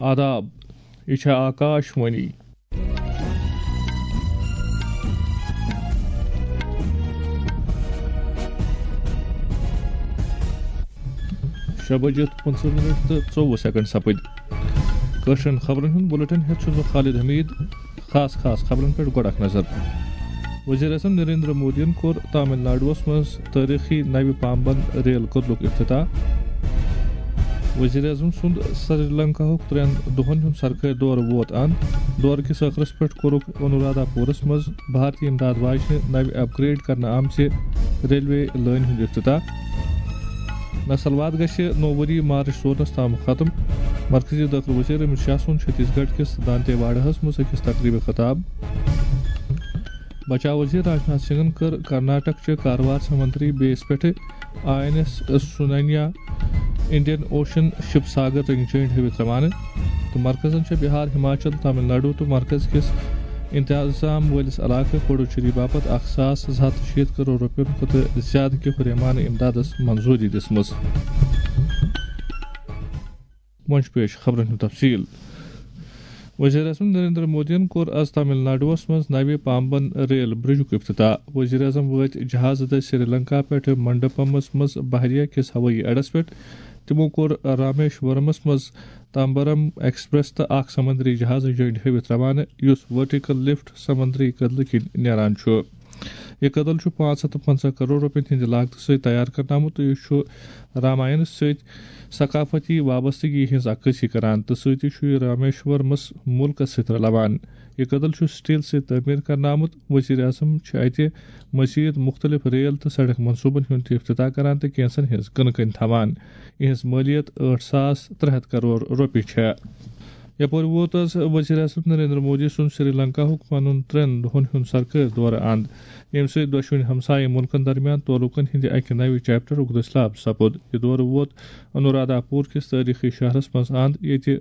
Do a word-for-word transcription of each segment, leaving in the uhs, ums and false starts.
آداب، یہِ چھےٚ آکاش وانی۔ شےٚ بجے پٕنٛژٕہ منٹ تہٕ ژوٚوُہ سیکنڈ سپٕدۍ۔ کٲشرٮ۪ن خبرن ہُنٛد بُلٹن ہٮ۪تھ چھُس بہٕ خالد حمید۔ خاص خاص خبرن پٮ۪ٹھ گۄڈٕ اکھ نظر۔ وزیر اعظم نریندر مودیَن کوٚر تامل ناڈوَس منٛز تٲریخی نوِ پامبن ریل کٔدلُک افتتاح۔ وزیر اعظم سُنٛد سری لنکاہُک ترٛٮ۪ن دۄہَن ہُنٛد سرکٲرۍ دورٕ ووت اند۔ دورٕ کِس ٲخرَس پٮ۪ٹھ کوٚرُکھ انورادھاپورَس منٛز بھارتی امداد واجنہِ نوِ اپگریڈ کرنہٕ آمژِ ریلوے لٲنہِ ہُنٛد افتتاح۔ نسلواد گژھِ نوٚو ؤری مارچ ژورنَس تام ختم۔ مرکزی دٲخلہٕ وزیر امت شاہ سُنٛد چھتیس گڑھ کِس دانتے واڑہَس منٛز أکِس تقریبہِ خطاب۔ بچاو وزیر راجناتھ سنگھن کٔر کرناٹک چہِ کاروار سمندری بیس پٮ۪ٹھ I N S Sunayna Indian ocean ship Sagar رنگ جینٹ ہٲوِتھ روانہٕ۔ تہٕ مرکزن چھےٚ بہار، ہماچل، تامل ناڈو تہٕ مرکز کِس انتظام وٲلِس علاقہٕ پڈوچیری باپتھ اکھ ساس زٕ ہتھ تہٕ شیٖتھ کرور رۄپین کھۄتہٕ زیادٕ کہِ ہُریمانہٕ امدادس منظوٗری دِژمٕژ۔ وۄنۍ چھُ پیش خبرن ہُنٛد تفصیل۔ وزیر اعظم نریندر مودیَن کوٚر از تامل ناڈوَس منٛز نوِ پامبن ریل برجُک افتتاح۔ وزیر اعظم وٲتۍ جہازٕ دٔسۍ سری لنکا پٮ۪ٹھ منڈپمس منٛز بحریہ کِس ہوٲیی اڈس پٮ۪ٹھ۔ تِمو کوٚر رامیشورمس منٛز تامبرم ایکسپریس تہٕ اکھ سمندری جہاز جینٹ ہٲوِتھ روانہٕ، یُس ورٹیکل لفٹ سمندری کدلہٕ کِنۍ نیران چھُ۔ یہِ کدل چھُ پانٛژھ ہتھ تہٕ پنٛژاہ کرور رۄپین ہٕنٛدِ لاگتہٕ سۭتۍ تیار کرنہٕ آمُت تہٕ یہِ چھُ راماینس سۭتۍ ثقافتی وابستگی ہٕنٛز عکٲسی کران تہٕ سۭتی چھُ یہِ رامیشورمس مُلکس سۭتۍ رلاوان۔ یہِ کدل چھُ سٹیل سۭتۍ تعمیٖر کرنہٕ آمُت۔ وزیر اعظم چھِ اتہِ مزید مختلف ریل تہٕ سڑک منصوبن ہُنٛد تہِ افتتاح کران تہٕ کینٛژن ہٕنٛز کٕنہٕ کٔنۍ تھاوان۔ یِہٕنٛز مٲلیت ٲٹھ ساس ترٛےٚ ہتھ کرور رۄپیہِ چھےٚ۔ یپٲرۍ ووت از وزیر اعظم نریندر مودی سُنٛد سری لنکاہُک پنُن ترٛٮ۪ن دۄہن ہُنٛد سرکٲرۍ دورٕ اند، ییٚمہِ سۭتۍ دۄشوٕنی ہمسایہِ مُلکن درمیان تعلقن ہٕنٛدِ اکہِ نوِ چیپٹرُک دٔسلاب سپُد۔ یہِ دورٕ ووت انورادھاپور کِس تٲریخی شہرس منٛز اند، ییٚتہِ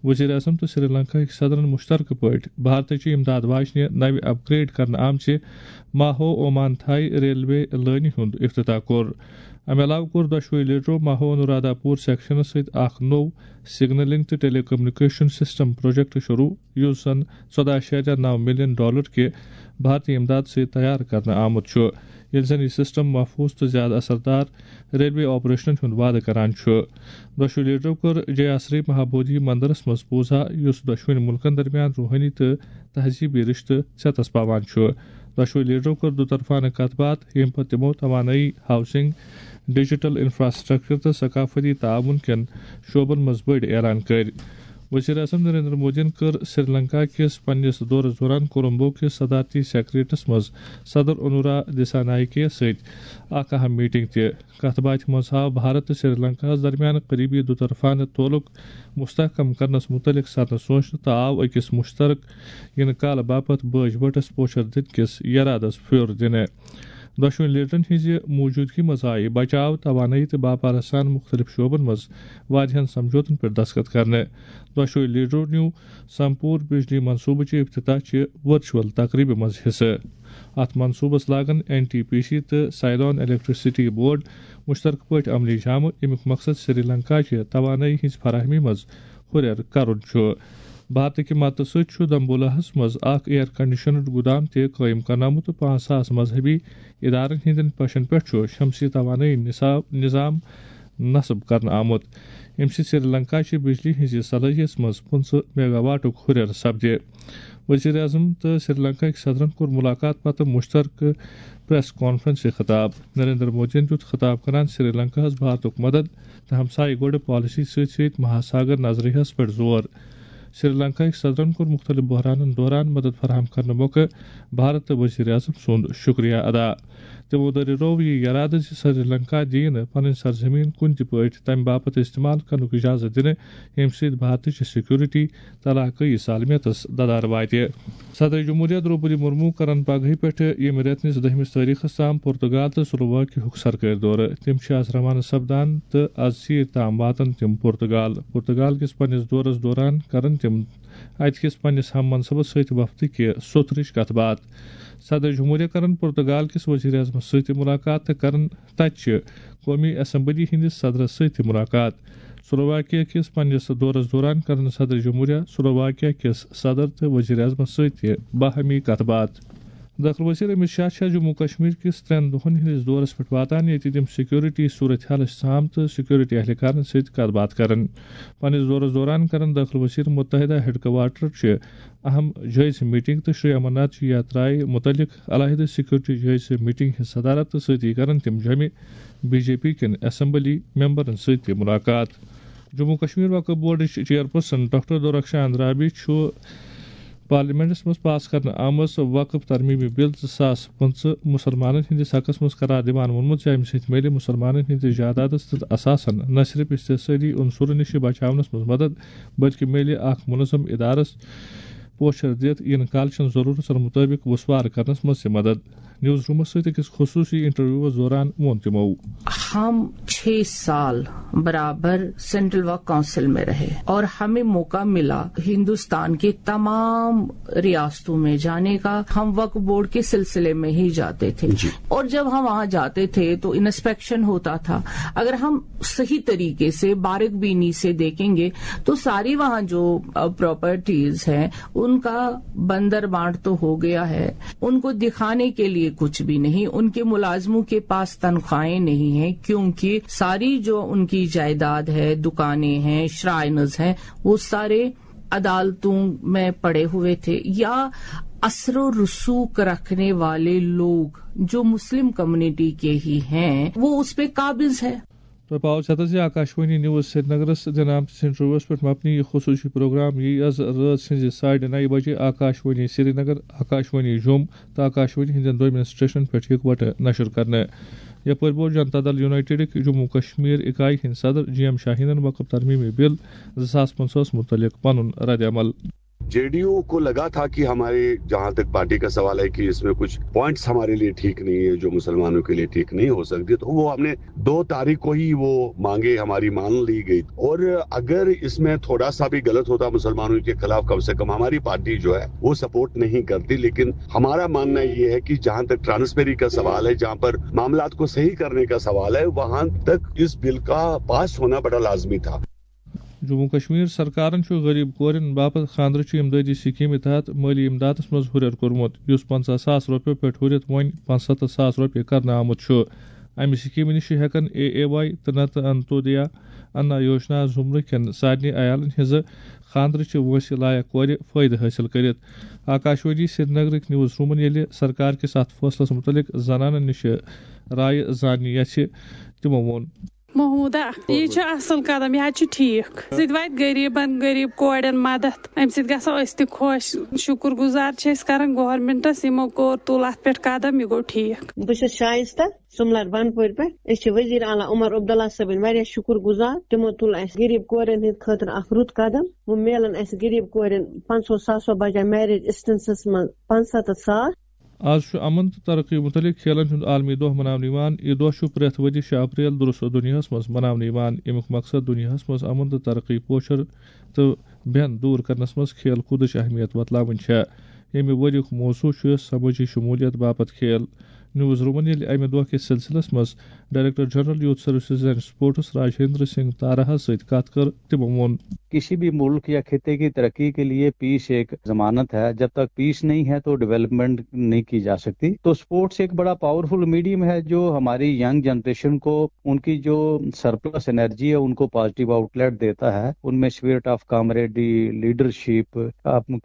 وزیر اعظم تہٕ سری لنکاہٕکۍ صدرن مشترکہٕ پٲٹھۍ بھارتٕچہِ امداد واجنہِ نوِ اپگریڈ کرنہٕ آمژِ ماہو اومان تھاے ریلوے لٲنہِ ہُنٛد افتتاح کوٚر۔ امہِ علاوٕ کوٚر دۄشوٕے لیڈرو ماہو انورادھاپور سیکشنس سۭتۍ اکھ نوٚو سگنلنگ تہٕ ٹیلی کمیونیکیشن سسٹم پروجیکٹ شروع، یُس زن ژۄداہ اعشاریہ نو ملین ڈالر کہِ بھارتی امداد سۭتۍ تیار کرنہٕ آمُت چھُ، ییٚلہِ زن یہِ سسٹم محفوظ تہٕ زیادٕ اثردار ریلوے آپریشنن ہُنٛد وعدٕ کران چھُ۔ دۄشوٕے لیڈرو کوٚر جیا سری مہابودھی مندرس منٛز پوزا، یُس دۄشوٕنی مُلکن درمیان روحٲنی تہٕ تہذیبی رشتہٕ ژیتس پاوان چھُ۔ دۄشوٕے لیڈرو کٔر دُطرفانہٕ کتھ باتھ، ییٚمہِ پتہٕ تِمو توانٲیی، ہاؤسنگ، ڈیجیٹل انفراسٹرکچر تہٕ ثقافتی تعاون کٮ۪ن شعبن منٛز بٔڑۍ اعلان کٔرۍ۔ وزیر اعظم نریندر مودیَن کٔر سری لنکا کِس پننِس دورس دوران کولمبو کِس صدارتی سیکریٹریٹس منٛز صدر انورا دسا نائکے یَس سۭتۍ اکھ اہم میٹنگ تہِ۔ کتھ باتھِ منٛز آو بھارت تہٕ سری لنکاہَس درمیان قریبی دُطرفانہٕ تعلق مستحکم کرنس متعلق سرنہٕ سوچنہٕ تہٕ آو أکِس مشترک یِنہٕ کالہٕ باپتھ بٲج بٔٹھس پوچھر دِنہٕ کِس یرادس پھیُر دِنہٕ۔ دۄشوٕنی لیڈرن ہٕنٛزِ موجودگی منٛز آیہِ بچاو، توانٲیی تہٕ باپارس سان مُختٔلِف شعبن منٛز واریاہن سمجھوتن پٮ۪ٹھ دستخط کرنہٕ۔ دۄشوٕنی لیڈرو نیوٗ سمپور بجلی منصوبہٕ چہِ افتتاح چہِ ورچوئل تقریبہِ منٛز حصہٕ۔ اتھ منصوبس لاگن این ٹی پی سی تہٕ سائیلون الیکٹریسٹی بورڈ مشترکہٕ پٲٹھۍ عملی جامہٕ، ییٚمیُک مقصد سری لنکا چہِ توانٲیی ہٕنٛز فراہمی منٛز ہُرٮ۪ر کرُن چھُ۔ بھارتٕکہِ مدتہٕ سۭتۍ چھُ دمبولاہَس منٛز اکھ ایئر کنڈیشنڈ گودام تہِ قٲیِم کرنہٕ آمُت تہٕ پانٛژھ ساس مذہبی ادارن ہٕنٛدٮ۪ن پشن پٮ۪ٹھ چھُ شمسی توانٲیی نصاب، نظام نصب کرنہٕ آمُت، ییٚمہِ سۭتۍ سری لنکا چہِ بجلی ہٕنٛزِ صلٲحیتس منٛز پٕنٛژٕہ میگا واٹُک ہُرٮ۪ر سپدِ۔ وزیر اعظم تہٕ سری لنکاہٕکۍ صدرن کوٚر ملاقات پتہٕ مشترکہٕ پریس کانفرنسہِ خطاب۔ نریندر مودیَن دیُت خطاب کران سری لنکاہَس بھارتُک مدد تہٕ ہمسایہِ گۄڈٕ پالیسی سۭتۍ سۭتۍ مہاساگر نظریہَس پٮ۪ٹھ زور۔ سری لنکاہٕکۍ صدرن کوٚر مُختٔلِف بحرانن دوران مدد فراہم کرنہٕ موقعہٕ بھارت تہٕ وزیر اعظم سُنٛد شُکریہ ادا۔ تِمو دٔریاوو یہِ یرادٕ زِ سری لنکا دِیہِ نہٕ پنٕنۍ سرزمین کُنہِ تہِ پٲٹھۍ تَمہِ باپتھ استعمال کرنُک اجازت دِنہٕ، ییٚمہِ سۭتۍ بھارتٕچ سیکورٹی تہٕ علاقٲیی سالمیتس ددار واتہِ۔ صدر جمہوریہ درٛوپدی مرمو کرن پگہٕے پٮ۪ٹھٕ ییٚمہِ رٮ۪تہٕ نِس دٔہمِس تٲریخس تام پرتگال تہٕ سلوواکیہُک سرکٲرۍ دورٕ۔ تِم چھِ از روانہٕ سپدان تہٕ از ژیٖرۍ تام واتن تِم پرتگال۔ پرتگال کِس پننِس دورس دوران کرن تِم اتہِ کِس پننِس ہم منصبس سۭتۍ وفدٕ کہِ سوٚتھرٕچ کتھ باتھ۔ صدر جمہوریہ کرن پرتگال کِس وزیر اعظمس سۭتۍ تہِ ملاقات تہٕ کرن تتہِ چہِ قومی اسمبلی ہٕنٛدِس صدرس سۭتۍ تہِ ملاقات۔ سلوواکیا کِس پننِس دورس دوران کرن صدر جمہوریہ سلوواکیا کِس صدر تہٕ وزیر اعظمس سۭتۍ تہِ باہمی کتھ باتھ۔ داخلہٕ وزیر امت شاہ چھا جموں کشمیر کِس ترٛٮ۪ن دۄہن ہٕنٛدِس دورس پٮ۪ٹھ واتان، ییٚتہِ تِم سیکورٹی صورتحالٕچ سام تہٕ سیکورٹی اہلکارن سۭتۍ کتھ باتھ کرن۔ پننِس دورس دوران کرن داخلہٕ وزیر متحدہ ہیڈ کوارٹر چہِ اہم جٲیزٕ میٹنگ تہٕ شری امرناتھ جی یاترایہِ متعلق علیحدٕ سیکورٹی جٲیزٕ میٹنگ ہٕنٛز صدارت تہٕ سۭتی کرن تِم جمع بی جے پی کٮ۪ن اسمبلی ممبرن سۭتۍ تہِ ملاقات۔ جموں کشمیر وقف بورڈٕچ چیئرپرسن ڈاکٹر دورخشان رابی چھُ پارلیمنٹس منٛز پاس کرنہٕ آمٕژ وقف ترمیمی بل زٕ ساس پٕنٛژٕہ مسلمانن ہٕنٛدِس حقس منٛز قرار دِوان ووٚنمُت زِ امہِ سۭتۍ میلہِ مسلمانن ہٕنٛدِس جائیدادس تہٕ اثاثن نہ صرف استحصٲلی عنصرن نِش بچاونس منٛز مدد، بلکہِ میلہِ اکھ منظم ادارس پوچھر دِتھ یِنہٕ کالچن ضرورتن مطٲبق وسوار کرنس منٛز تہِ مدد۔ نیوز رومس سۭتۍ أکِس خصوصی انٹرویوس دوران ووٚن تِمو۔ ہم چھ سال برابر سینٹرل وقف کونسل میں رہے اور ہمیں موقع ملا ہندوستان کے تمام ریاستوں میں جانے کا۔ ہم وقف بورڈ کے سلسلے میں ہی جاتے تھے اور جب ہم وہاں جاتے تھے تو انسپیکشن ہوتا تھا۔ اگر ہم صحیح طریقے سے باریک بینی سے دیکھیں گے تو ساری وہاں جو پراپرٹیز ہیں ان کا بندر بانٹ تو ہو گیا ہے، ان کو دکھانے کے لیے کچھ بھی نہیں، ان کے ملازموں کے پاس تنخواہیں نہیں ہیں کیونکہ ساری جو ان کی جائیداد ہے، دکانیں ہیں، شرائنز ہیں، وہ سارے عدالتوں میں پڑے ہوئے تھے یا اثر و رسوخ رکھنے والے لوگ جو مسلم کمیونٹی کے ہی ہیں وہ اس پہ قابض ہے۔ تۄہہِ پاوو ژھٮ۪تس زِ آکاشوانی نیوز سرینگرس دِنہٕ آمتِس انٹرویوس پٮ۪ٹھ مبنی یہِ خصوٗصی پروگرام یی از رٲژ سٕنزِ ساڑِ نَیہِ بجے آکاشوانی سرینگر، آکاشوانی جوٚم تہٕ آکاشوانی ہٕنٛدٮ۪ن دوٚیمٮ۪ن سٹیشنن پٮ۪ٹھ یِکوَٹہٕ نشر کرنہٕ۔ یپٲرۍ بوز جنتا دل یونائیٹڈٕکۍ جموں کشمیر اکایہِ ہٕنٛدۍ صدر جی ایم شاہینن وقف ترمیمی بل زٕ ساس پنٛژاہس متعلق پنُن رد عمل۔ जेडीयू को लगा था कि हमारे, जहां तक पार्टी का सवाल है, कि इसमें कुछ पॉइंट्स हमारे लिए ठीक नहीं है, जो मुसलमानों के लिए ठीक नहीं हो सकती, तो वो हमने दो तारीख को ही वो मांगे हमारी मान ली गई। और अगर इसमें थोड़ा सा भी गलत होता मुसलमानों के खिलाफ, कम से कम हमारी पार्टी जो है वो सपोर्ट नहीं करती। लेकिन हमारा मानना ये है कि जहां तक ट्रांसपेरेंसी का सवाल है, जहां पर मामलात को सही करने का सवाल है, वहां तक इस बिल का पास होना बड़ा लाजमी था। جموں کشمیر سرکارن چھُ غریب کورٮ۪ن باپتھ خاندرٕچہِ امدادی سکیمہِ تحت مٲلی امدادس منٛز ہُرٮ۪ر کوٚرمُت، یُس پنٛژاہ ساس رۄپیو پٮ۪ٹھ ہُرِتھ وۄنۍ پنٛژستتھ ساس رۄپیہِ کرنہٕ آمُت چھُ۔ امہِ سکیمہِ نِش ہٮ۪کن اے اے واے تہٕ نتہٕ انتودیا انا یوجنا زمرٕ کٮ۪ن سارنٕے عیالن ہٕنٛزٕ خاندرٕچہِ وٲنٛسہِ لایق کورِ فٲیدٕ حٲصِل کٔرِتھ۔ آکاشوانی سرینگرٕکۍ نیوز رومن ییٚلہِ سرکار کِس اتھ فٲصلس مُتعلق زنانن نِش رایہِ زاننہِ یژھِ، تِمو ووٚن۔ محمودہ، یہِ چھُ اصل قدم، یہِ حظ چھُ ٹھیٖک۔ سۭتۍ واتہِ غریٖبن، غریٖب کورٮ۪ن مدد، امہِ سۭتۍ گژھو أسۍ تہِ خۄش۔ شُکر گُزار چھِ أسۍ کران گورنمنٹس، یِمو کوٚر، تُل اتھ پٮ۪ٹھ قدم، یہِ گوٚو ٹھیٖک۔ بہٕ چھَس شایستہ سُملر بنڈپورِ پٮ۪ٹھ۔ أسۍ چھِ وزیر اعلیٰ عمر عبداللہ صٲبٕنۍ واریاہ شُکر گُزار۔ تِمو تُل اَسہِ غریٖب کورٮ۪ن ہٕنٛدِ خٲطرٕ اکھ رُت قدم۔ وۄنۍ میلن اَسہِ غریٖب کورٮ۪ن پنٛژاہ ساسو بجایہِ میرج اسٹنسس منٛز پنٛژستتھ ساس۔ از چھُ امن تہٕ ترقی متعلق کھیلن ہُنٛد عالمی دۄہ مناونہٕ یِوان۔ یہِ دۄہ چھُ پرٛٮ۪تھ ؤرۍ یہِ چھُ اپریل درس دُنیاہس منٛز مناونہٕ یِوان۔ اَمیُک مقصد دُنیاہس منٛز امن تہٕ ترقی پوچھر تہٕ بٮ۪ن دوٗر کرنس منٛز کھیل کوٗدٕچ اہمیت بتلاوٕنۍ چھےٚ۔ ییٚمہِ ؤریُک موضوع چھُ سمٲجی شمولیت باپتھ کھیل۔ نیوز رومن ییٚلہِ امہِ دۄہ کِس سلسلس منٛز director general youth services and sports Rajinder Singh تارہس سۭتۍ کتھ کٔر، تِمو ووٚن۔ کسی بھی ملک یا خطے کی ترقی کے لیے پیس ایک ضمانت ہے۔ جب تک پیس نہیں ہے تو ڈیولپمنٹ نہیں کی جا سکتی۔ تو اسپورٹس ایک بڑا پاورفل میڈیم ہے جو ہماری ینگ جنریشن کو ان کی جو سرپلس انرجی ہے ان کو پازیٹیو آؤٹ لیٹ دیتا ہے۔ ان میں spirit of camaraderie, leadership,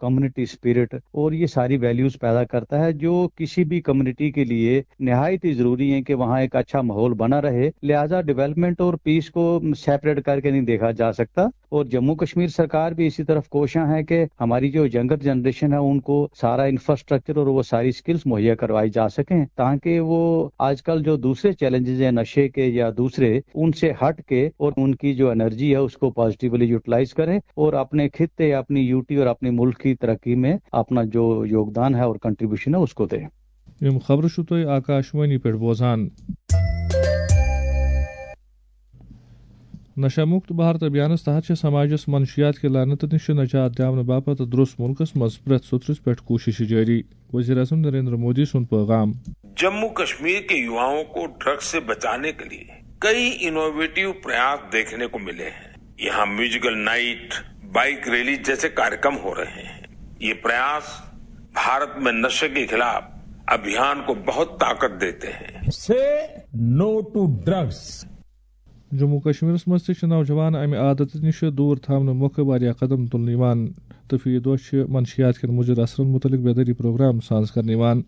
community spirit اور یہ ساری ویلیوز پیدا کرتا ہے جو کسی بھی کمیونٹی کے لیے نہایت ہی ضروری ہے کہ وہاں ایک اچھا ماحول بنا رہے۔ لہذا ڈیولپمنٹ اور پیس کو سیپریٹ کر کے نہیں دیکھا جا سکتا۔ اور جموں کشمیر سرکار بھی اسی طرف کوشاں ہے کہ ہماری جو ینگر جنریشن ہے ان کو سارا انفراسٹرکچر اور وہ ساری اسکلز مہیا کروائی جا سکیں تاکہ وہ آج کل جو دوسرے چیلنجز ہیں نشے کے یا دوسرے، ان سے ہٹ کے اور ان کی جو انرجی ہے اس کو پازیٹیولی یوٹیلائز کریں اور اپنے خطے، اپنی یوٹی اور اپنے ملک کی ترقی میں اپنا جو یوگدان ہے اور کنٹریبیوشن ہے اس کو دیں۔ یِم خبرٕ چھِو تُہۍ آکاشوانی پٮ۪ٹھ بوزان۔ نشہ مکت بھارت ابھیانس تحت چھِ سماجس منشیات کہِ لعنتہٕ نِش نجات دِیاونہٕ باپتھ درٛوس مُلکس منٛز پرٛٮ۪تھ سوٚترِس پٮ۪ٹھ کوٗششہٕ جٲری۔ وزیر اعظم نریندر مودی سُنٛد پیغام۔ जम्मू कश्मीर के युवाओं को ड्रग्स से बचाने के लिए कई इनोवेटिव प्रयास देखने को मिले हैं। यहाँ म्यूजिकल नाइट, बाइक रैली जैसे कार्यक्रम हो रहे हैं। ये प्रयास भारत में नशे के खिलाफ अभियान को बहुत ताकत देते हैं। Say no to drugs. Jammu و کشمیرس منٛز تہِ چھِ نوجوان امہِ عادتہٕ نِش دوٗر تھاونہٕ مۄکھٕ واریاہ قدم تُلنہٕ یِوان تہٕ فی دۄہ چھِ منشیات کٮ۪ن مُضِر اثرن مُتعلق بیدٲری پروگرام ساز کرنہٕ یِوان۔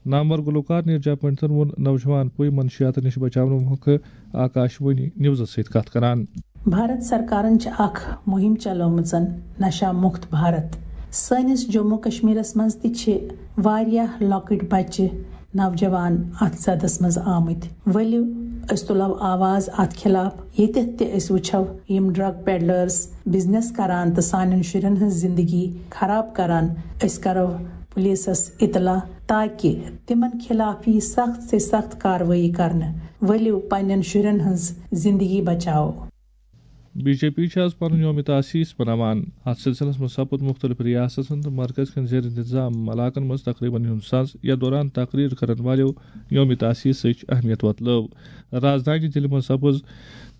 نامور گلوکار نیرجا پنڈتن ووٚن نوجوان پُے منشیاتن نِش بچاونہٕ مۄکھٕ آکاش وانی نیوزس سۭتۍ کتھ کران۔ بھارت سرکارن چھِ اکھ مُہِم چلٲومٕژ نشہ مُکت بھارت۔ سٲنِس جموں کشمیرس منٛز تہِ چھِ واریاہ لۄکٕٹۍ بچہِ نوجوان اتھ زدس منٛز آمٕتۍ۔ ؤلِو أسۍ تُلو آواز اتھ خلاف۔ ییٚتٮ۪تھ تہِ أسۍ وٕچھو یِم ڈرگ پیڈلرز بزنس کران تہٕ سانٮ۪ن شُرٮ۪ن ہٕنٛز زندگی خراب کران، أسۍ کرو پُلیٖسس اطلاع تاکہِ تِمن خلاف یی سخت سے سخت کاروٲیی کرنہٕ۔ ؤلِو پننٮ۪ن شُرٮ۪ن ہٕنٛز زندگی بچاوو۔ بی جے پی چھِ آز پنُن یوم تاسیس مناوان۔ اتھ سلسلس منٛز سپُد مُختٔلِف ریاستن تہٕ مرکز کٮ۪ن زیر انتظام علاقن منٛز تقریبن ہُنٛد ساز۔ یتھ دوران تقریر کرن والٮ۪و یوم تاسیسٕچ اہمیت وۄتلٲو۔ رازدانہِ دِلہِ منٛز سپٕز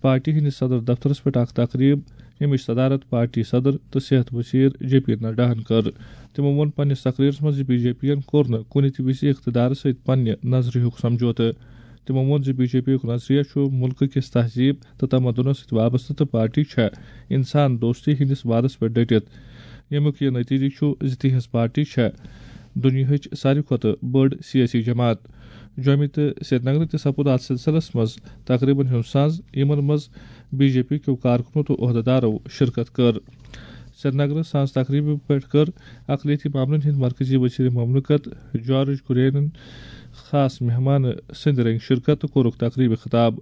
پارٹی ہٕنٛدِس صدر دفترس پٮ۪ٹھ اکھ تقریب، ییٚمِچ صدارت پارٹی صدر تہٕ صحت وزیر جے پی نڈاہن کٔر۔ تِمو ووٚن پننِس تقریرس منٛز زِ بی جے پی ین کوٚر نہٕ کُنہِ تہِ وِزِ اقتدارس سۭتۍ پننہِ نظریُک سمجھوتہٕ۔ تِمو ووٚن زِ بی جے پی یُک نظریہ چھُ مُلکہٕ کِس تہذیب تہٕ تمدنس سۭتۍ وابستہٕ تہٕ پارٹی چھےٚ انسان دوستی ہٕنٛدِس وعدس پٮ۪ٹھ ڈٔٹِتھ، ییٚمیُک یہِ نتیجہٕ چھُ زِ تِہنٛز پارٹی چھےٚ دُنیاہٕچ ساروی کھۄتہٕ بٔڑ سیٲسی جماعت۔ جوٚمہِ تہٕ سرینگرٕ تہِ سپُد اتھ سلسلس منٛز تقریبن ہُنٛد ساز، یِمن منٛز بی جے پی کیو کارکنو تہٕ عہدیدارو شرکت کٔر۔ سرینگرٕ سانز تقریبہِ پٮ۪ٹھ کٔر اقلیتی معاملن ہٕنٛدۍ مرکزی وزیر مملکت جارج کُرینن خاص مہمان سٕنٛدِ رنگہِ شرکت تہٕ کوٚرُکھ تقریبہِ خطاب۔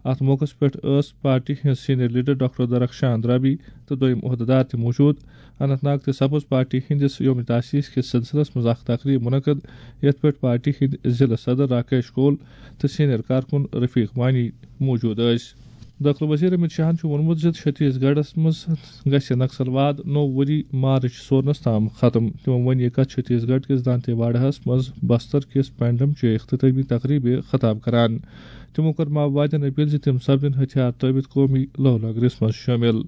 اتھ موقعس پٮ۪ٹھ ٲس پارٹی ہٕنٛز سینئر لیڈر ڈاکٹر درخشان درابی تہٕ دوٚیم عہدیدار تہِ موجود۔ اننت ناگ تہٕ سپٕز پارٹی ہٕنٛدِس یوم تاسیس کِس سلسلس منٛز اکھ تقریب منعقد، یتھ پٮ۪ٹھ پارٹی ہٕنٛدۍ ضلع صدر راکیش کول تہٕ سینئر کارکُن رفیق وانی موجود ٲسۍ۔ دٲخلہٕ وزیر امت شاہن چھُ ووٚنمُت زِ چھتیس گڑھس منٛز گژھِ نکسل واد نوٚو ؤری مارچ سورنس تام ختم۔ تِمو ووٚن یہِ کتھ چھتیس گڑھ کِس دانتے واڑہس منٛز بستر کِس پینڈم چہِ اختتٲمی تقریبہِ خطاب کران۔ تِمو کٔر ماؤوادین اپیل زِ تِم سپدن ہتھیار ترٲوِتھ قومی لو لنگرس منٛز شٲمِل۔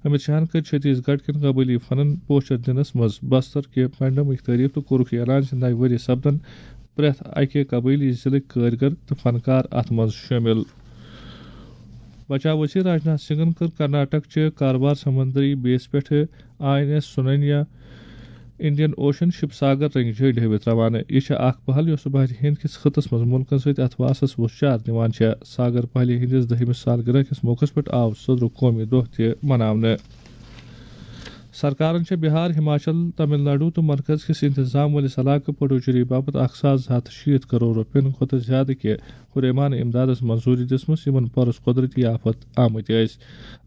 امت شاہن کٔر چھتیس گڑھ کٮ۪ن قبٲیلی فنن پوچھر دِنس منٛز بستر کہِ پینڈمٕچ تعریف تہٕ کوٚرُکھ یہِ اعلان زِ نوِ ؤری سپدن پرٛٮ۪تھ اکہِ قبٲیلی ضلعٕکۍ کٲرۍ گر تہٕ فنکار اتھ منٛز شٲمِل۔ بچاو وزیر راجناتھ سنگھن کٔر کرناٹک چہِ کاربار سمندری بیس پٮ۪ٹھ I N S Sunayna Indian ocean ship Sagar رنگہِ جھنڈِ ہٲوِتھ روانہٕ۔ یہِ چھےٚ اکھ پہل یۄس بحرِ ہند کِس خطس منٛز مُلکن سۭتۍ اتھواسس وُژھ چار دِوان چھےٚ۔ ساگر پہلہِ ہٕنٛدِس دٔہمِس سالگرہ کِس موقعس پٮ۪ٹھ آو سوٚدرُک قومی دۄہ تہِ مناونہٕ۔ سرکارن چھےٚ بہار، ہماچل، تمل ناڈو تہٕ مرکز کِس انتظام وٲلِس علاقہٕ پڈوچیری باپتھ اکھ ساس زٕ ہتھ شیٖتھ کرور رۄپین کھۄتہٕ زیادٕ کہِ ہُریمانہٕ امدادس منظوٗری دِژمٕژ، یِمن پرُس قۄدرٔتی آفت آمٕتۍ ٲسۍ۔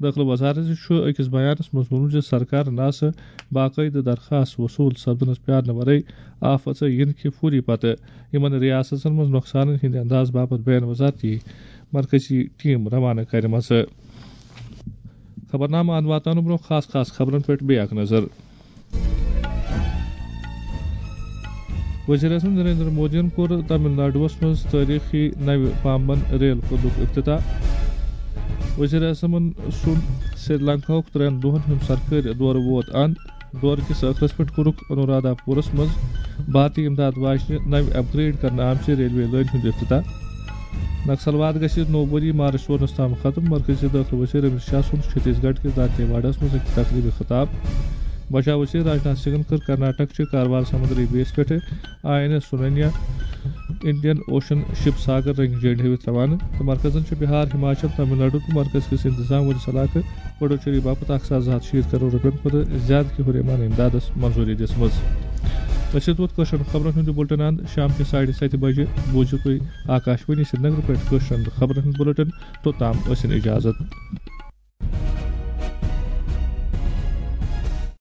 دٲخلہٕ وزارت چھُ أکِس بیانس منٛز ووٚنمُت زِ سرکارن آسہٕ باقٲعدٕ درخاست وصوٗل سپدنس پیارنہٕ ورٲے آفژٕ یِنہٕ کہِ فوری پتہٕ یِمن ریاستن منٛز نۄقصانن ہٕنٛدِ انداز باپتھ بین وزارتی مرکزی ٹیم روانہٕ کرِمژٕ۔ خبرنامہٕ اند واتناونہٕ برونٛہہ خاص خاص خبرن پٮ۪ٹھ بیٚیہِ اکھ نظر۔ وزیر اعظم نریندر مودیَن کوٚر تمل ناڈوَس منٛز تٲریخی نوِ پامبن ریل پُلُک افتتاح۔ وزیر اعظمَن سُنٛد سری لنکاہُک ترٛٮ۪ن دۄہَن ہُنٛد سرکٲرۍ دورٕ ووت اند۔ دورٕ کِس ٲخرَس پٮ۪ٹھ کوٚرُکھ انورادھاپورَس منٛز بھارتی امداد واجنہِ نوِ اپ گریڈ کرنہٕ آمژِ ریلوے لٲنہِ ہُنٛد افتتاح۔ نکسلواد گژھِ نوٚو ؤری مارچ ژورنَس تام ختم۔ مرکزی دٲخلہٕ وزیر امت شاہ سُنٛد چھتیس گڑھ کِس دانتے واڑہَس منٛز أکِس تقریبہِ خطاب۔ بچاو وزیر راجناتھ سنگھن کٔر کرناٹک چہِ کاروان سمندری بیس پٮ۪ٹھ I N S Sunayna Indian ocean ship Sagar رنگہِ جھنڈِ ہٲوِتھ روانہٕ تہٕ مرکزن چھِ بہار، ہماچل، تمل ناڈو تہٕ مرکز کِس انتظام وٲلِس علاقہٕ پڈوچیری باپتھ اکھ ساس زٕ ہتھ شیٖتھ کرور رۄپین کھۄتہٕ زیادٕ کہِ ہُریمان امدادس منظوٗری دِژمٕژ۔ أسۍ چھِ توت کٲشرٮ۪ن خبرن ہُنٛد یہِ بُلٹن اند شام کہِ ساڑِ ستہِ بجہِ۔ بوٗزِو تُہۍ آکاش وانی سرینگر پٮ۪ٹھ کٲشرٮ۪ن خبرن ہُنٛد بُلٹن۔ توٚتام ٲسِن اجازت۔